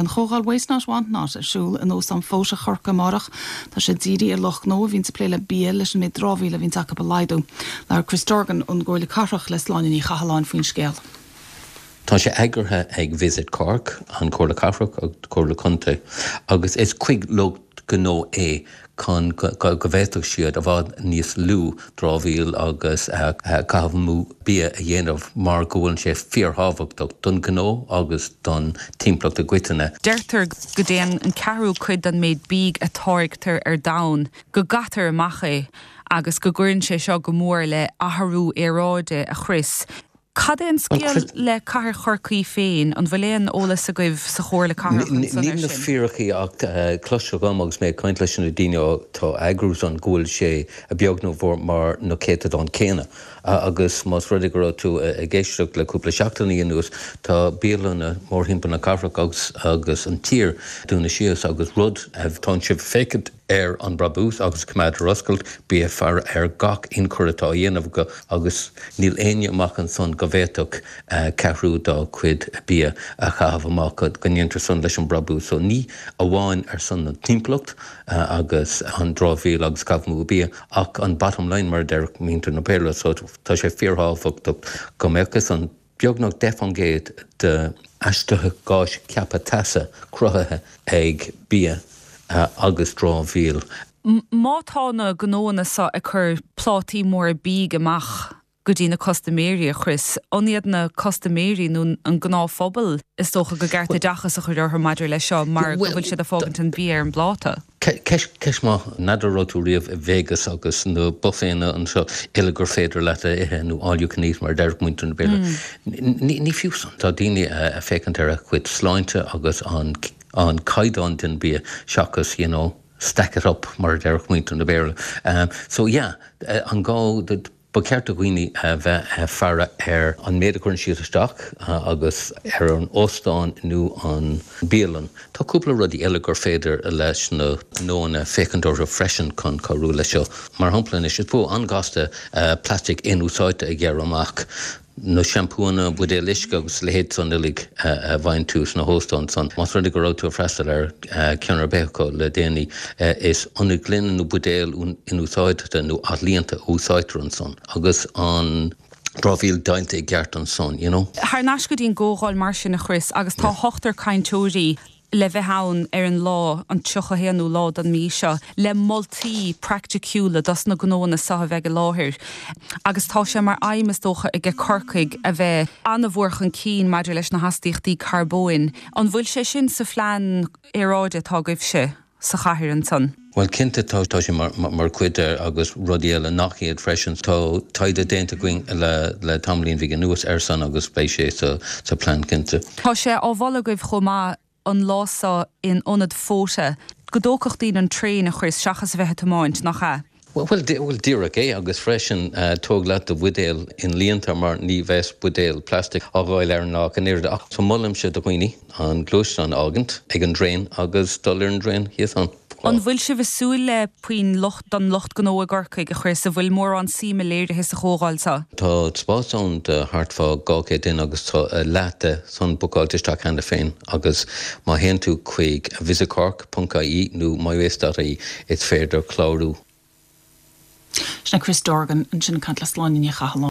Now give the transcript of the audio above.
Beidh an chomhdháil Waste Not Want Not ar siúl in Óstán Fota Chorcaí amárach. Tá sé dírithe ar lucht gnó a bhíonns ag plé le bia leis an méid dramhaíola a bhíonns acu a laghdú. Labhair Chris Dorgan ón gComhairle Cathrach le Sláine Ní Chathalláin faoin scéal. Tá sé eagraithe ag Visit Cork, an Chomhairle Cathrach agus Comhairle Contae agus is chuig lucht gnó é chun go bhféadfadh siad i bhfad níos lú dramhaíl agus caitheamh amú bia a dhéanamh mar go bhfuil sé fíorthábhachtach don ghnó agus don timpeallacht i gcoitinne. Deirtear go dtéann an ceathrú cuid den méid bídh a táirgtear ar domhan, go gcaitear amach é agus go gcuireann sé seo go mór le athrú aeráide, a Chris. Cad é an scéal le Cathair Chorcaí féin? An bhfuil aon eolas agaibh sa Chomhairle Cathrach ansan air sin? Níl na fíricí ach cloistear dhom agus mé ag caint leis na daoine atá ag eagrú san go bhfuil sé a beag nó mhór mar na céatadáin céanna agus más rud é go raibh tú ag éisteacht le cúpla seachtainí anuas tá bialanna mórthimpeall na cathrach agus agus an tír dúnadh síos agus rud tá sibh ag féachaint ar an brabús agus coimeád ar oscailt, bí ag faire ar gach ionchur atá á dhéanamh acu agus níl éinne amach ansan go bhféadfadh ceathrú dá chuid bia a chaitheamh amach go ndéantar san leis an brabús. So ní amháin ar son na timpeallacht agus an dramhaíl agus caitheamh amú bia ach an bottom line mar a deir muintir na Béarla. So tá sé fíorthábhachtach go mbeadh an beagnach 10% de astuithe gáis ceaptha teasa cruthaithe ag bia agus dramhaíl. Má tá na gnóanna seo ag cur plátaí móra bídh amach go dtí na custaiméirí, a Chris, an iad na custaiméirí nó an gnáthphobal is dócha go gceart oideachas a chur orthu maidir leis seo mar go bhfuil siad ag fágaint an bia ar an bpláta? Ceist maith. N'fheadar raibh tú riamh i Vegas agus na bufféanna anseo uile gur féidir leat a ithe nó all you can eat mar a deir muintir na Béarla. Ní fiú san. Tá daoine ag féachaint ar a gcuid sláinte agus an caighdeán den bia seachas you know stack it up mar a déarfadh muintir na Béarla. So yeah, an gá Ba cheart do dhaoine a bheith ag faire ar an méid a chuireann siad isteach agus ar an óstán nó an bialann. Tá cúpla rudaí eile gur féidir leis na gnóanna féachaint orthu freisin chun cabhrú leis seo. Mar shampla anois, is modh an-ghasta plaisteach inúsáidte a ghearradh amach. na seampúanna, buidéil uisce agus a leithéid san uilig a bhfaigheann tú sna hóstáin san. Más rud é go raibh tú ag freastal ar cheann ar bith acu le déanaí, is ionaid ghloine nó buidéil inúsáidte nó athlíonta a úsáidtear ansan agus an dramhaíl deighilte i gceart ansan, you know. Thar n-ais go dtí an gcomhdháil mar sin, a Chris, agus tá ochtar cainteoirí le bheith ann ar an lá, an 31ú lá den mhí seo, le moltaí praiticiúla dos na gnóanna seo a bheidh i láthair. Agus tá sé mar aidhm, is dócha, aige Corcaigh a bheith an-mhór chun cinn maidir leis na hastaíochtaí carbóin. An bhfuil sé sin sa phlean aeráide atá agaibhse sa chathair ansan? Bhuel, cinnte tá, tá sé mar chuid de agus rudaí eile nach iad freisin. Tá taighde déanta againn le tamaillín bheag anuas air san agus beidh sé sa plean cinnte. Tá sé á mholadh agaibh chomh maith an lá seo in Ionad Fota go dtógfadh daoine an traein, a Chris, seachas a bheith ag tiomáint, nach ea? Bhuel, díreach é agus freisin tóg leat do bhuidéal inlíonta mar ní bheas buidéal plastic á dháileadh ar an lá ach an oiread. Ach so molaimse do dhaoine an gluaisteán a fhágaint ag an dtraein agus dul ar an dtraein thíos ann. An bhfuil sibh ag súil le puinn lucht don lucht gnó i gCorcaigh, a Chris? An bhfuil mórán suime léirithe sa chomhdháil seo? Tá spás ann do thart fá 200 duine agus tá leath de san bookáilte isteach cheana féin agus má théann tú chuig visitcork ponc ie nó mywaste.ie is féidir clárú. Sin é Chris Dorgan ansin ag caint le Sláine Ní Chathalláin.